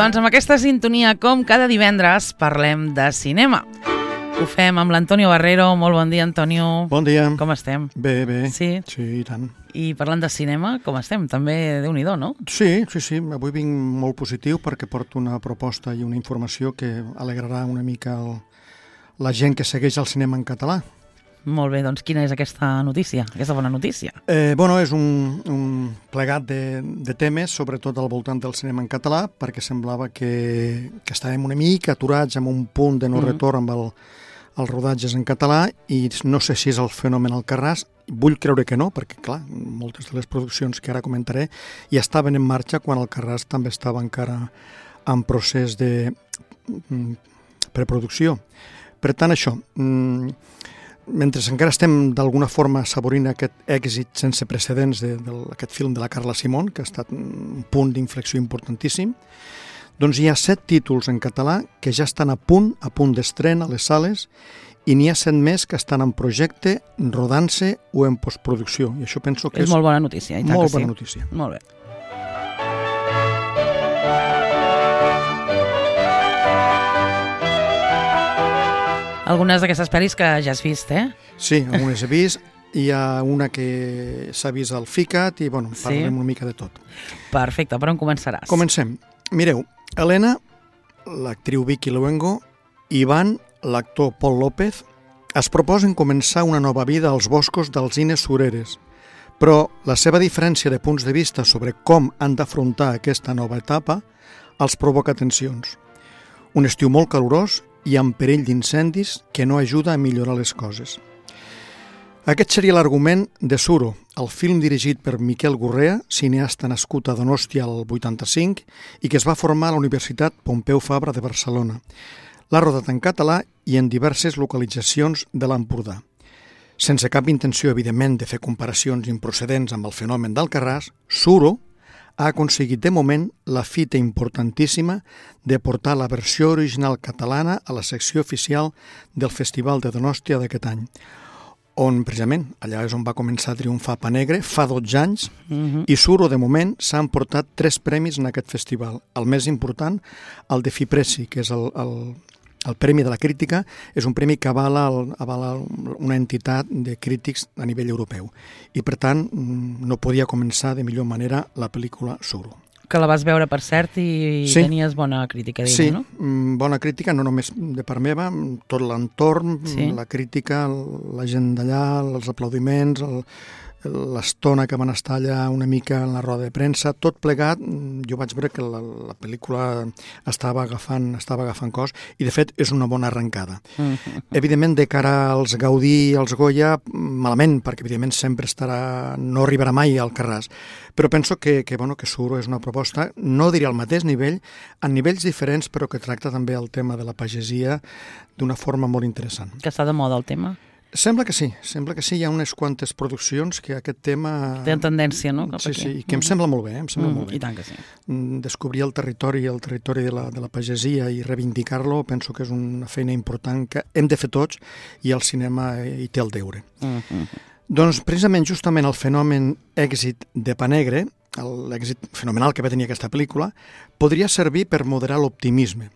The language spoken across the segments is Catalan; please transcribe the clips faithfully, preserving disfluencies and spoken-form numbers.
doncs amb aquesta sintonia, com cada divendres, parlem de cinema. Ho fem amb l'Antonio Barrero. Molt bon dia, Antonio. Bon dia. Com estem? Bé, bé. Sí? Sí, i tant. I parlant de cinema, com estem? També Déu-n'hi-do, no? Sí, sí, sí. Avui vinc molt positiu perquè porto una proposta i una informació que alegrarà una mica el, la gent que segueix el cinema en català. Molt bé, doncs quina és aquesta notícia, aquesta bona notícia? Eh, bueno, és un, un plegat de, de temes, sobretot al voltant del cinema en català, perquè semblava que, que estàvem una mica aturats amb un punt de no retorn amb el, els rodatges en català, i no sé si és el fenomen Alcarràs. Vull creure que no, perquè, clar, moltes de les produccions que ara comentaré ja estaven en marxa quan Alcarràs també estava encara en procés de preproducció. Per tant, això... Mentre encara estem d'alguna forma assaborint aquest èxit sense precedents d'aquest film de la Carla Simón, que ha estat un punt d'inflexió importantíssim, doncs hi ha set títols en català que ja estan a punt, a punt d'estrena a les sales, i n'hi ha set més que estan en projecte, rodant-se o en postproducció. I això penso que és... És molt bona notícia. I tant molt que bona sí. notícia. Molt bé. Algunes d'aquestes pel·lis que ja has vist, eh? Sí, algunes he vist. Hi ha una que s'ha vist al FICAT i, bueno, parlarem sí. una mica de tot. Perfecte, per on començaràs? Comencem. Mireu, Helena, l'actriu Vicky Luengo, Ivan, l'actor Pol López, es proposen començar una nova vida als boscos d'Alzines Sureres, però la seva diferència de punts de vista sobre com han d'afrontar aquesta nova etapa els provoca tensions. Un estiu molt calorós i amb perill d'incendis que no ajuda a millorar les coses. Aquest seria l'argument de Suro, el film dirigit per Miquel Gurrea, cineasta nascut a Donòstia al vuitanta-cinc i que es va formar a la Universitat Pompeu Fabra de Barcelona. L'ha rodat en català i en diverses localitzacions de l'Empordà. Sense cap intenció, evidentment, de fer comparacions improcedents amb el fenomen d'Alcarràs, Suro ha aconseguit de moment la fita importantíssima de portar la versió original catalana a la secció oficial del Festival de Donòstia d'aquest any, on precisament allà és on va començar a triomfar Pa Negre fa dotze anys, uh-huh. i Suro de moment s'ha emportat tres premis en aquest festival. El més important, el de Fipressi, que és el, el, el Premi de la Crítica, és un premi que avala, el, avala una entitat de crítics a nivell europeu. I, per tant, no podia començar de millor manera la pel·lícula Suro. Que la vas veure, per cert, i sí. tenies bona crítica, diguem, sí, no? Sí, bona crítica, no només de part meva, tot l'entorn, sí. la crítica, la gent d'allà, els aplaudiments, el, l'estona que van estar allà una mica en la roda de premsa, tot plegat, jo vaig veure que la, la pel·lícula estava agafant, estava agafant cos, i de fet és una bona arrencada. Uh-huh. Evidentment, de cara als Gaudí i als Goya, malament, perquè evidentment sempre estarà, no arribarà mai al Carràs, però penso que, que, bueno, que Suro és una proposta, no diria al mateix nivell, a nivells diferents, però que tracta també el tema de la pagesia d'una forma molt interessant. Que està de moda el tema? Sembla que sí, sembla que sí, hi ha unes quantes produccions que aquest tema... Tenen tendència, no? Cap sí, aquí. sí, que em sembla molt bé, em sembla mm, molt bé. I tant que sí. Descobrir el territori, el territori de la, de la pagesia i reivindicar-lo, penso que és una feina important que hem de fer tots i el cinema hi té el deure. Mm-hmm. Doncs precisament justament el fenomen èxit de Pa Negre, l'èxit fenomenal que va tenir aquesta pel·lícula, podria servir per moderar l'optimisme.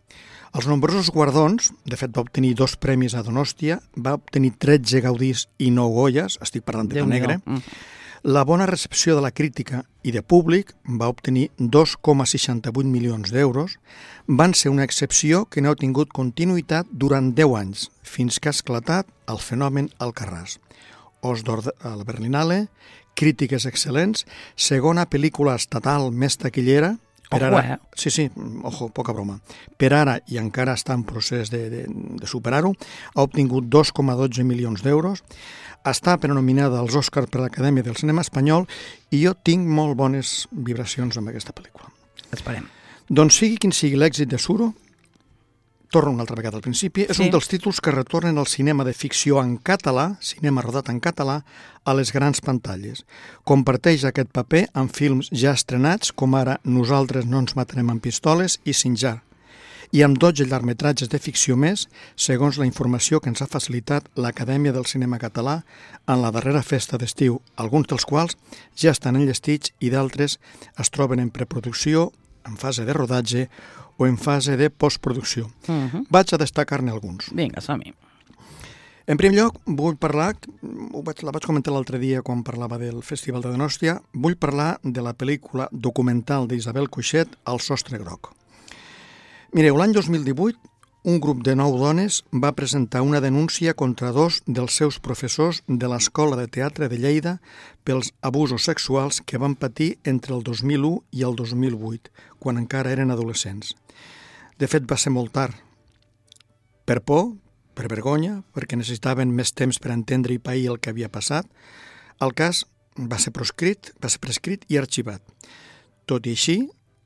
Els nombrosos guardons, de fet va obtenir dos premis a Donòstia, va obtenir tretze Gaudís i nou Goyes, estic parlant de Pa Negre. La bona recepció de la crítica i de públic va obtenir dos coma seixanta-vuit milions d'euros, van ser una excepció que no ha tingut continuïtat durant deu anys, fins que ha esclatat el fenomen Alcarràs. Os d'Or a la Berlinale, crítiques excel·lents, segona pel·lícula estatal més taquillera. Per Ojo, ara, eh? Sí, sí, ojo, poca broma. Per ara, i encara està en procés de, de, de superar-ho, ha obtingut dos coma dotze milions d'euros, està prenominada als Oscars per l'Acadèmia del Cinema Espanyol i jo tinc molt bones vibracions amb aquesta pel·lícula. Esperem. Doncs sigui quin sigui l'èxit de Suro, torno una altra vegada al principi, és sí. un dels títols que retornen al cinema de ficció en català, cinema rodat en català, a les grans pantalles. Comparteix aquest paper amb films ja estrenats, com ara Nosaltres no ens matarem amb pistoles i Sinjar, i amb dotze llargmetratges de ficció més, segons la informació que ens ha facilitat l'Acadèmia del Cinema Català en la darrera festa d'estiu, alguns dels quals ja estan enllestits i d'altres es troben en preproducció, en fase de rodatge o en fase de postproducció. Uh-huh. Vaig a destacar-ne alguns. Vinga, som-hi. En primer lloc, vull parlar, ho vaig, la vaig comentar l'altre dia quan parlava del Festival de Donòstia, vull parlar de la pel·lícula documental d'Isabel Coixet, El sostre groc. Mireu, l'any dos mil divuit, un grup de nou dones va presentar una denúncia contra dos dels seus professors de l'Escola de Teatre de Lleida pels abusos sexuals que van patir entre el dos mil u i el dos mil vuit, quan encara eren adolescents. De fet, va ser molt tard. Per por, per vergonya, perquè necessitaven més temps per entendre i pair el que havia passat, el cas va ser proscrit, va ser prescrit i arxivat. Tot i així,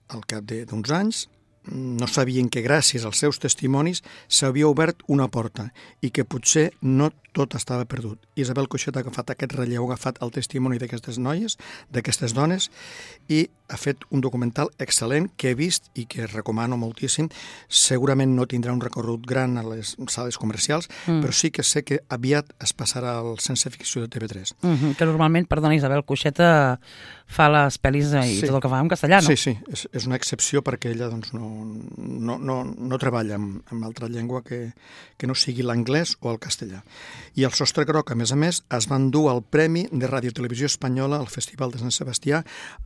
al cap d'uns anys, no sabien que gràcies als seus testimonis s'havia obert una porta i que potser no tot estava perdut. Isabel Coixet ha agafat aquest relleu, ha agafat el testimoni d'aquestes noies, d'aquestes dones, i ha fet un documental excel·lent que he vist i que recomano moltíssim. Segurament no tindrà un recorregut gran a les sales comercials, mm. però sí que sé que aviat es passarà al Sense Ficció de T V tres. Mm-hmm, que normalment, perdona, Isabel Coixet fa les pel·lis i sí. tot el que fa en castellà, no? Sí, sí, és, és una excepció perquè ella doncs, no, no, no, no treballa amb, amb altra llengua que, que no sigui l'anglès o el castellà. I el Sostre Groc, a més a més, es van dur el Premi de Ràdio Televisió Espanyola al Festival de Sant Sebastià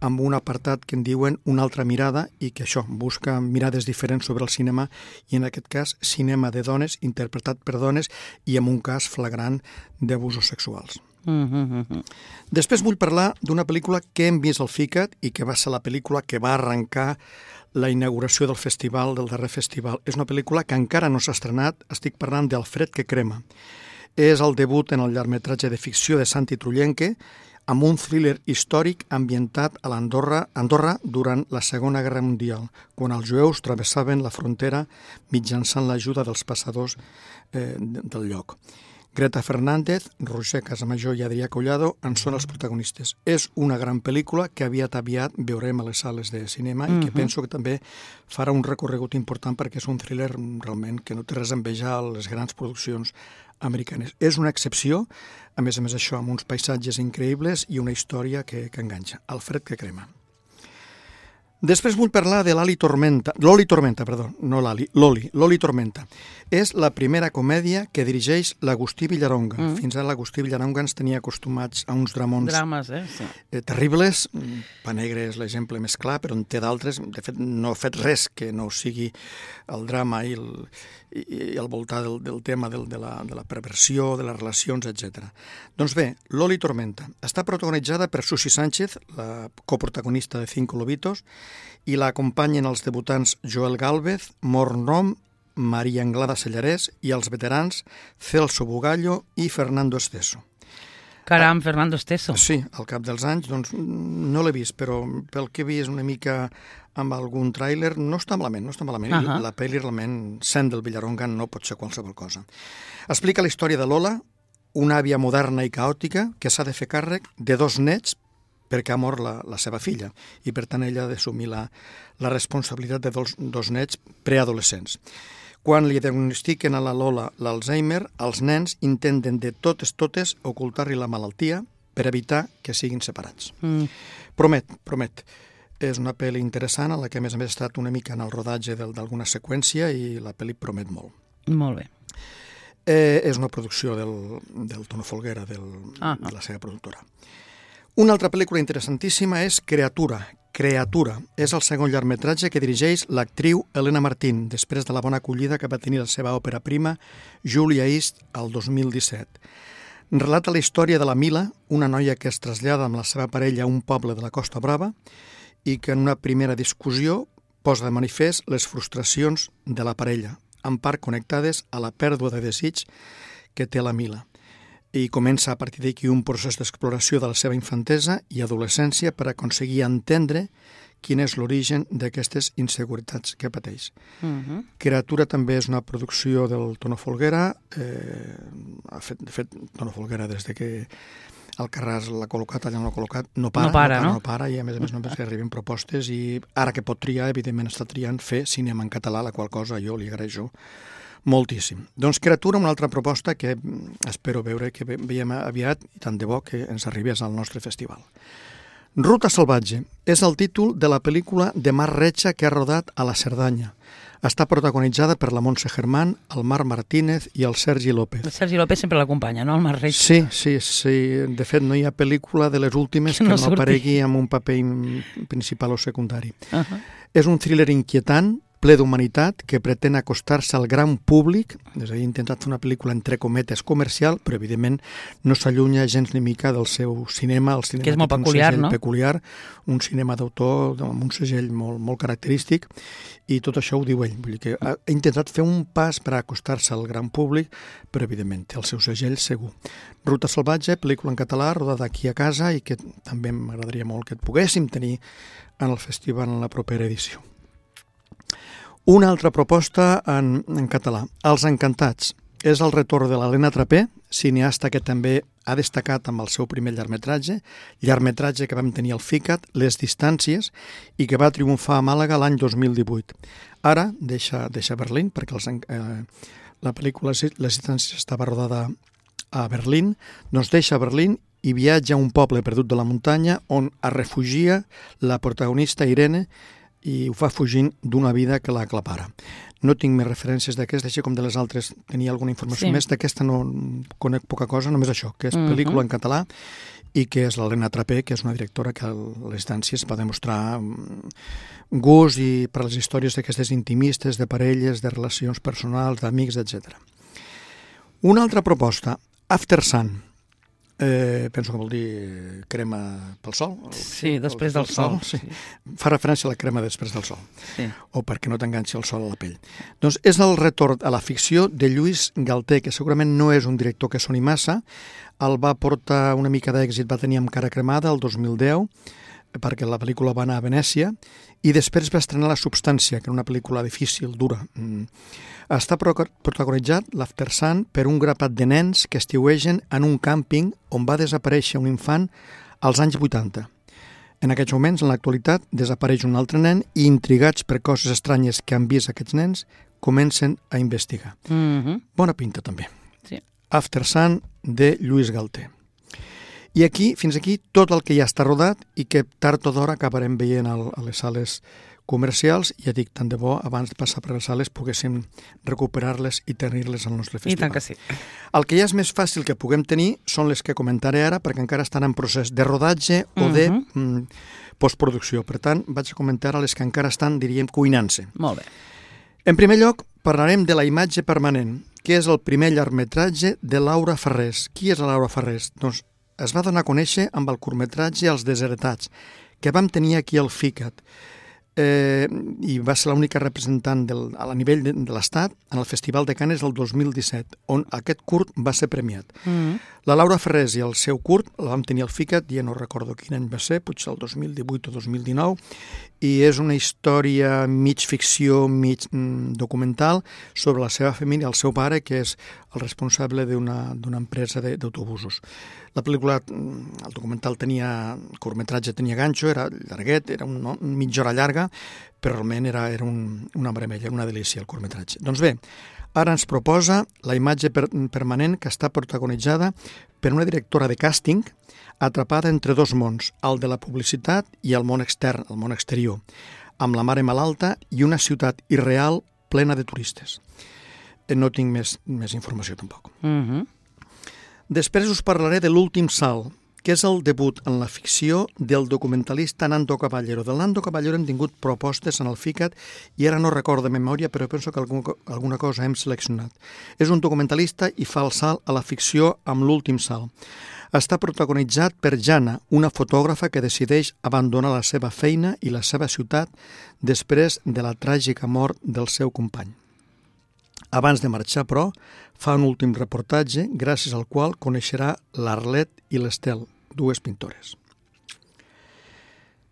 amb un apartat que en diuen Una altra mirada i que això, busca mirades diferents sobre el cinema i en aquest cas cinema de dones, interpretat per dones i amb un cas flagrant d'abusos sexuals. Mm-hmm. Després vull parlar d'una pel·lícula que hem vist al FICAT i que va ser la pel·lícula que va arrencar la inauguració del festival, del darrer festival. És una pel·lícula que encara no s'ha estrenat, estic parlant d'El fred que crema. És el debut en el llargmetratge de ficció de Santi Trullenque amb un thriller històric ambientat a l'Andorra Andorra durant la Segona Guerra Mundial, quan els jueus travessaven la frontera mitjançant l'ajuda dels passadors eh, del lloc. Greta Fernández, Roger Casamajor i Adrià Collado en són els protagonistes. És una gran pel·lícula que aviat aviat veurem a les sales de cinema mm-hmm. i que penso que també farà un recorregut important perquè és un thriller realment que no té res a envejar a les grans produccions americanes. És una excepció, a més a més això, amb uns paisatges increïbles i una història que, que enganxa. El fred que crema. Després vull parlar de l'Ali Tormenta, l'Oli Tormenta, perdó, no l'Ali, l'Oli, l'Oli Tormenta. És la primera comèdia que dirigeix l'Agustí Villaronga. Mm. Fins ara l'Agustí Villaronga ens tenia acostumats a uns dramons Drames, eh? Sí. eh, terribles. Pa Negre és l'exemple més clar, però en té d'altres. De fet, no ha fet res que no sigui el drama i el, i, i el voltar del, del tema del, de, la, de la perversió, de les relacions, etcètera. Doncs bé, l'Oli Tormenta està protagonitzada per Susi Sánchez, la coprotagonista de Cinco Lobitos, i l'acompanyen els debutants Joel Gálvez, Mor Nom, Maria Anglada Sellarès i els veterans Celso Bugallo i Fernando Esteso. Caram, Fernando Esteso. Sí, al cap dels anys, doncs no l'he vist, però pel que he vist una mica amb algun tràiler, no està malament, no està malament. Uh-huh. La pel·li realment, sent del Villaronga, no pot ser qualsevol cosa. Explica la història de Lola, una àvia moderna i caòtica que s'ha de fer càrrec de dos nets perquè ha mort la, la seva filla i per tant ella ha d'assumir la, la responsabilitat de dos, dos nets preadolescents. Quan li diagnostiquen a la Lola l'Alzheimer, els nens intenten de totes totes ocultar-li la malaltia per evitar que siguin separats. Mm. Promet, promet. És una pel·li interessant a la que a més a més ha estat una mica en el rodatge d'alguna seqüència i la pel·li promet molt. Molt bé. Eh, és una producció del, del Tono Folguera, del, ah. de la seva productora. Una altra pel·lícula interessantíssima és Creatura. Creatura és el segon llargmetratge que dirigeix l'actriu Elena Martín, després de la bona acollida que va tenir la seva òpera prima, Julia East, el dos mil disset. Relata la història de la Mila, una noia que es trasllada amb la seva parella a un poble de la Costa Brava i que en una primera discussió posa de manifest les frustracions de la parella, en part connectades a la pèrdua de desig que té la Mila. I comença a partir d'aquí un procés d'exploració de la seva infantesa i adolescència per aconseguir entendre quin és l'origen d'aquestes inseguretats que pateix. Uh-huh. Creatura també és una producció del Tono Folguera. Eh, ha fet, de fet, Tono Folguera, des de que el Carràs l'ha col·locat, allà no l'ha col·locat, no para, no para, no, para, no? no para, i a més a més només que arriben propostes, i ara que pot triar, evidentment està triant fer cinema en català, la qual cosa jo li agraeixo moltíssim. Doncs Creatura, una altra proposta que espero veure que veiem aviat i tant de bo que ens arribés al nostre festival. Ruta salvatge és el títol de la pel·lícula de Marc Retxa que ha rodat a la Cerdanya. Està protagonitzada per la Montse Germán, el Marc Martínez i el Sergi López. El Sergi López sempre l'acompanya, no? El Marc Retxa. Sí, sí, sí. De fet, no hi ha pel·lícula de les últimes que no, no aparegui amb un paper principal o secundari. Uh -huh. És un thriller inquietant, ple d'humanitat, que pretén acostar-se al gran públic, és a dir, ha intentat fer una pel·lícula entre cometes comercial, però evidentment no s'allunya gens ni mica del seu cinema, el cinema que és molt peculiar, no? peculiar, un cinema d'autor amb un segell molt, molt característic, i tot això ho diu ell. Vull dir que ha, ha intentat fer un pas per acostar-se al gran públic, però evidentment té el seu segell segur. Ruta salvatge, pel·lícula en català, rodada aquí a casa, i que també m'agradaria molt que et poguéssim tenir en el festival en la propera edició. Una altra proposta en, en català, Els Encantats. És el retorn de l'Helena Trapé, cineasta que també ha destacat amb el seu primer llargmetratge, llargmetratge que vam tenir al FICAT, Les Distàncies, i que va triomfar a Màlaga l'any dos mil divuit. Ara deixa, deixa Berlín, perquè els, eh, la pel·lícula Les Distàncies estava rodada a Berlín, doncs deixa Berlín i viatja a un poble perdut de la muntanya on es refugia la protagonista Irene, i ho fa fugint d'una vida que l'aclapara. No tinc més referències d'aquesta, així com de les altres tenia alguna informació sí. més. D'aquesta no conec poca cosa, només això, que és pel·lícula uh-huh. en català i que és l'Helena Trapé, que és una directora que a les Distàncies va demostrar gust i per les històries d'aquestes intimistes, de parelles, de relacions personals, d'amics, etcètera. Una altra proposta, After Sun. Eh, penso que vol dir crema pel sol. Sí, després del sol. Sí. Fa referència a la crema després del sol. Sí. O perquè no t'enganxi el sol a la pell. Doncs és el retorn a la ficció de Lluís Galter, que segurament no és un director que soni massa. El va portar una mica d'èxit, va tenir Amb cara cremada el dos mil deu, perquè la pel·lícula va anar a Venècia, i després va estrenar La substància, que era una pel·lícula difícil, dura. Mm. Està protagonitzat, l'After Sun, per un grapat de nens que estiuegen en un càmping on va desaparèixer un infant als anys vuitanta. En aquests moments, en l'actualitat, desapareix un altre nen i, intrigats per coses estranyes que han vist aquests nens, comencen a investigar. Mm-hmm. Bona pinta, també. Sí. After Sun, de Lluís Galter. I aquí, fins aquí, tot el que ja està rodat i que tard o d'hora acabarem veient a les sales comercials, i ja dic, tant de bo, abans de passar per les sales, poguéssim recuperar-les i tenir-les al nostre festival. I tant que sí. El que ja és més fàcil que puguem tenir són les que comentaré ara, perquè encara estan en procés de rodatge o de uh-huh. mm, postproducció. Per tant, vaig a comentar a les que encara estan, diríem, cuinant-se. Molt bé. En primer lloc, parlarem de La imatge permanent, que és el primer llargmetratge de Laura Ferrés. Qui és la Laura Ferrés? Doncs es va donar a conèixer amb el curtmetratge Els desheretats, que vam tenir aquí al FICAT. Eh, i va ser l'única representant del, a nivell de, de l'Estat en el Festival de Canes del dos mil disset, on aquest curt va ser premiat. Mm-hmm. La Laura Ferrés i el seu curt la vam tenir al FICAT, ja no recordo quin any va ser, potser el dos mil divuit o dos mil dinou, i és una història mig ficció, mig mm, documental sobre la seva família, el seu pare, que és el responsable d'una d'una empresa d'autobusos. La pel·lícula, el documental tenia, el curtmetratge tenia ganxo, era llarguet, era un, no, mitja hora llarga, però realment era, era un, una meravella, una delícia el curtmetratge. Doncs bé, ara ens proposa La imatge per, permanent, que està protagonitzada per una directora de càsting atrapada entre dos mons, el de la publicitat i el món extern, el món exterior, amb la mare malalta i una ciutat irreal plena de turistes. No tinc més, més informació tampoc. Mhm. Després us parlaré de L'últim salt, que és el debut en la ficció del documentalista Nando Caballero. Del Nando Caballero hem tingut propostes en el FICAT i ara no recordo de memòria, però penso que algun, alguna cosa hem seleccionat. És un documentalista i fa el salt a la ficció amb L'últim salt. Està protagonitzat per Jana, una fotògrafa que decideix abandonar la seva feina i la seva ciutat després de la tràgica mort del seu company. Abans de marxar, però, fa un últim reportatge, gràcies al qual coneixerà l'Arlet i l'Estel, dues pintores.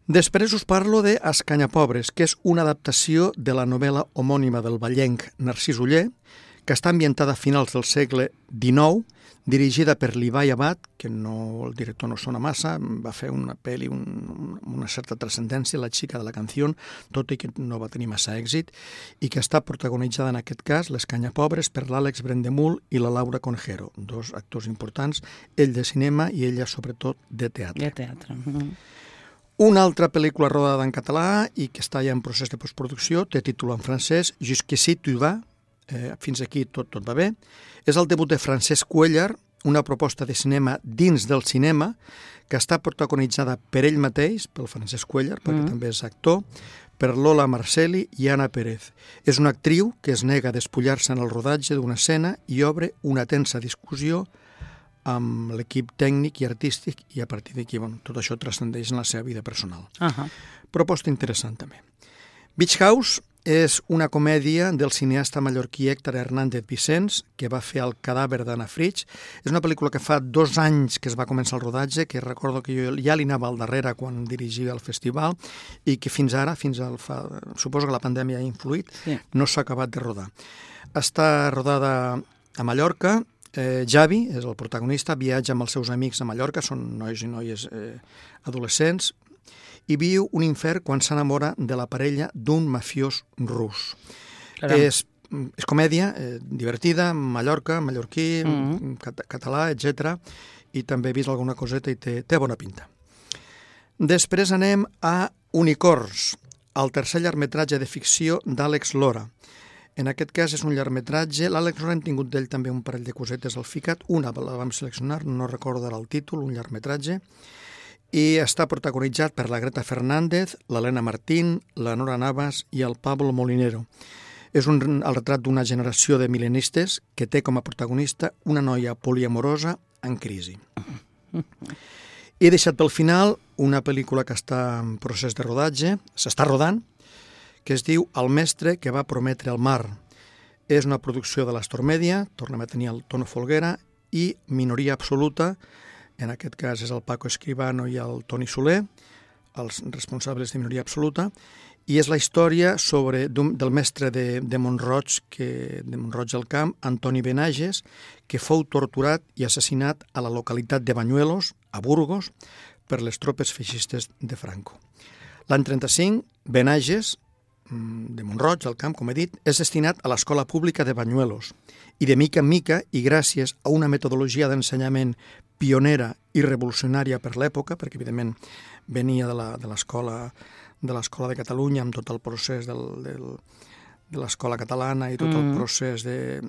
Després us parlo de Escanyapobres, que és una adaptació de la novel·la homònima del vallenc Narcís Oller, que està ambientada a finals del segle dinou, dirigida per l'Ibai Abad, que no, el director no sona massa, va fer una pel·li un, una certa transcendència, La xica de la canció, tot i que no va tenir massa èxit, i que està protagonitzada en aquest cas, l'Escanyapobres, per l'Àlex Brendemul i la Laura Conejero, dos actors importants, ell de cinema i ella sobretot de teatre. De teatre. Mm-hmm. Una altra pel·lícula rodada en català i que està ja en procés de postproducció, té títol en francès, Jusqu'ici tu vas, eh, fins aquí tot, tot va bé. És el debut de Francesc Cuéllar, una proposta de cinema dins del cinema, que està protagonitzada per ell mateix, pel Francesc Cuéllar, perquè mm. també és actor, per Lola Marcelli i Anna Pérez. És una actriu que es nega a despullar-se en el rodatge d'una escena i obre una tensa discussió amb l'equip tècnic i artístic i a partir d'aquí, bueno, tot això transcendeix en la seva vida personal. Uh-huh. Proposta interessant també. Beach House és una comèdia del cineasta mallorquí Héctor Hernández Vicens, que va fer El cadàver d'Anna Fritsch. És una pel·lícula que fa dos anys que es va començar el rodatge, que recordo que jo ja li anava al darrere quan dirigia el festival i que fins ara, fins al fa, suposo que la pandèmia ha influït, sí. no s'ha acabat de rodar. Està rodada a Mallorca. Eh, Javi és el protagonista, viatja amb els seus amics a Mallorca, són nois i noies eh, adolescents, i viu un infern quan s'enamora de la parella d'un mafiós rus. És, és comèdia eh, divertida, Mallorca, mallorquí, mm-hmm. cat català, etcètera, i també he vist alguna coseta i té, té bona pinta. Després anem a Unicorns, el tercer llargmetratge de ficció d'Àlex Lora. En aquest cas és un llargmetratge. L'Àlex Lora hem tingut d'ell també un parell de cosetes al ficat. Una la vam seleccionar, no recordo ara el títol, un llargmetratge. I està protagonitzat per la Greta Fernández, l'Helena Martín, la Nora Navas i el Pablo Molinero. És un, el retrat d'una generació de mil·lenistes que té com a protagonista una noia poliamorosa en crisi. He deixat pel final una pel·lícula que està en procés de rodatge, s'està rodant, que es diu El mestre que va prometre el mar. És una producció de l'Astor Media, tornem a tenir el Tono Folguera, i Minoria Absoluta, en aquest cas és el Paco Escribano i el Toni Soler, els responsables de Minoria Absoluta, i és la història sobre, del mestre de, de Montroig, que, de Montroig del Camp, Antoni Benages, que fou torturat i assassinat a la localitat de Banyuelos, a Burgos, per les tropes feixistes de Franco. L'any trenta-cinc, Benages, de Montroig, del Camp, com he dit, és destinat a l'escola pública de Banyuelos i de mica en mica, i gràcies a una metodologia d'ensenyament pionera i revolucionària per l'època, perquè evidentment venia de l'escola de l'escola de Catalunya amb tot el procés del, del, de l'escola catalana i tot mm. el procés de,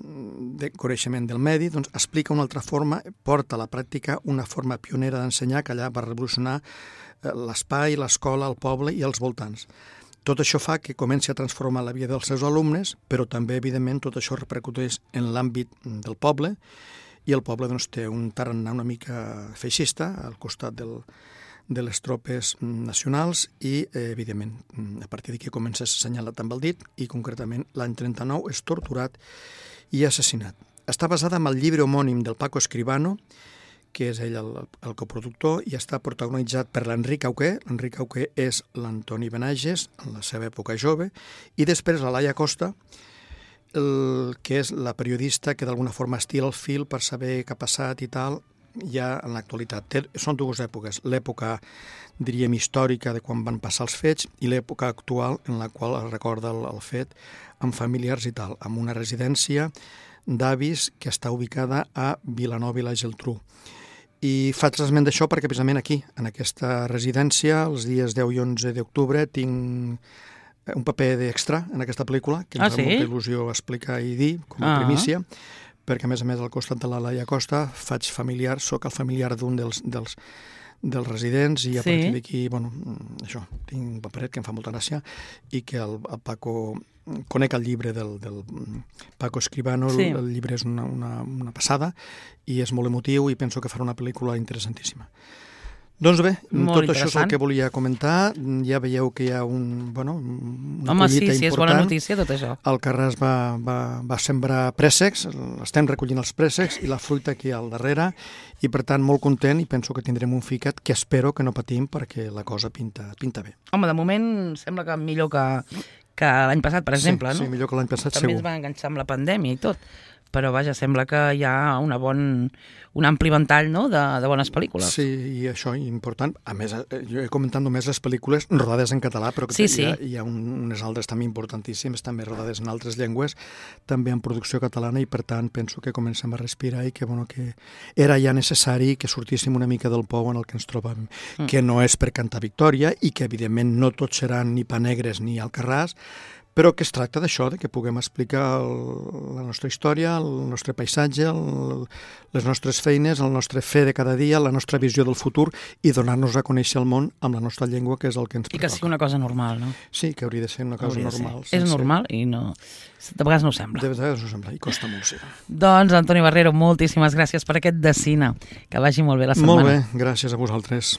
de coneixement del medi, doncs explica una altra forma, porta a la pràctica una forma pionera d'ensenyar que allà va revolucionar l'espai, l'escola, el poble i els voltants. Tot això fa que comenci a transformar la vida dels seus alumnes, però també, evidentment, tot això repercuteix en l'àmbit del poble, i el poble doncs, té un tarannà una mica feixista al costat del, de les tropes nacionals i, eh, evidentment, a partir d'aquí comença a assenyalar també el dit i, concretament, l'any trenta-nou és torturat i assassinat. Està basada en el llibre homònim del Paco Escribano, que és ell el, el coproductor, i està protagonitzat per l'Enric Auqué. L'Enric Auqué és l'Antoni Benages, en la seva època jove, i després la Laia Costa, el, que és la periodista que d'alguna forma estira el fil per saber què ha passat i tal, ja en l'actualitat. Té, són dues èpoques, l'època, diríem, històrica de quan van passar els fets i l'època actual en la qual es recorda el, el fet amb familiars i tal, amb una residència d'avis que està ubicada a Vilanova i la Geltrú. I faig l'esment d'això perquè precisament aquí, en aquesta residència, els dies deu i onze d'octubre, tinc un paper d'extra en aquesta pel·lícula, que em ah, fa sí? molta il·lusió explicar i dir, com a ah. primícia, perquè a més a més al costat de la Laia Costa faig familiar, sóc el familiar d'un dels, dels, dels residents i a sí. partir d'aquí, bueno, això, tinc un paperet que em fa molta gràcia i que el, el Paco... Conec el llibre del, del Paco Escribano, sí. el, el llibre és una, una, una passada i és molt emotiu i penso que farà una pel·lícula interessantíssima. Doncs bé, molt tot això és el que volia comentar. Ja veieu que hi ha un, bueno, una Home, collita sí, sí, important. És bona notícia tot això. El Carràs va, va, va sembrar préssecs, estem recollint els préssecs i la fruita aquí al darrere, i per tant molt content i penso que tindrem un ficat que espero que no patim perquè la cosa pinta, pinta bé. Home, de moment sembla que millor que... que l'any passat, per exemple, sí, no? Sí, millor que l'any passat, també segur. També es va enganxar amb la pandèmia i tot. però vaja, sembla que hi ha una bon, un ampli ventall, no?, de, de bones pel·lícules. Sí, i això important. A més, jo he comentat només les pel·lícules rodades en català, però que sí, hi sí. ha, hi ha un, unes altres també importantíssimes, també rodades en altres llengües, també en producció catalana, i per tant penso que comencem a respirar i que, bueno, que era ja necessari que sortíssim una mica del pou en el que ens trobàvem, mm. que no és per cantar victòria i que evidentment no tots seran ni Panegres ni Alcarràs, però que es tracta d'això, de que puguem explicar el, la nostra història, el nostre paisatge, el, les nostres feines, el nostre fer de cada dia, la nostra visió del futur i donar-nos a conèixer el món amb la nostra llengua, que és el que ens pertoca. I que sigui una cosa normal, no? Sí, que hauria de ser una cosa normal. És normal i no... De vegades no ho sembla. De vegades no ho sembla i costa molt, sí. Doncs, Antoni Barrero, moltíssimes gràcies per aquest de cine. Que vagi molt bé la setmana. Molt bé, gràcies a vosaltres.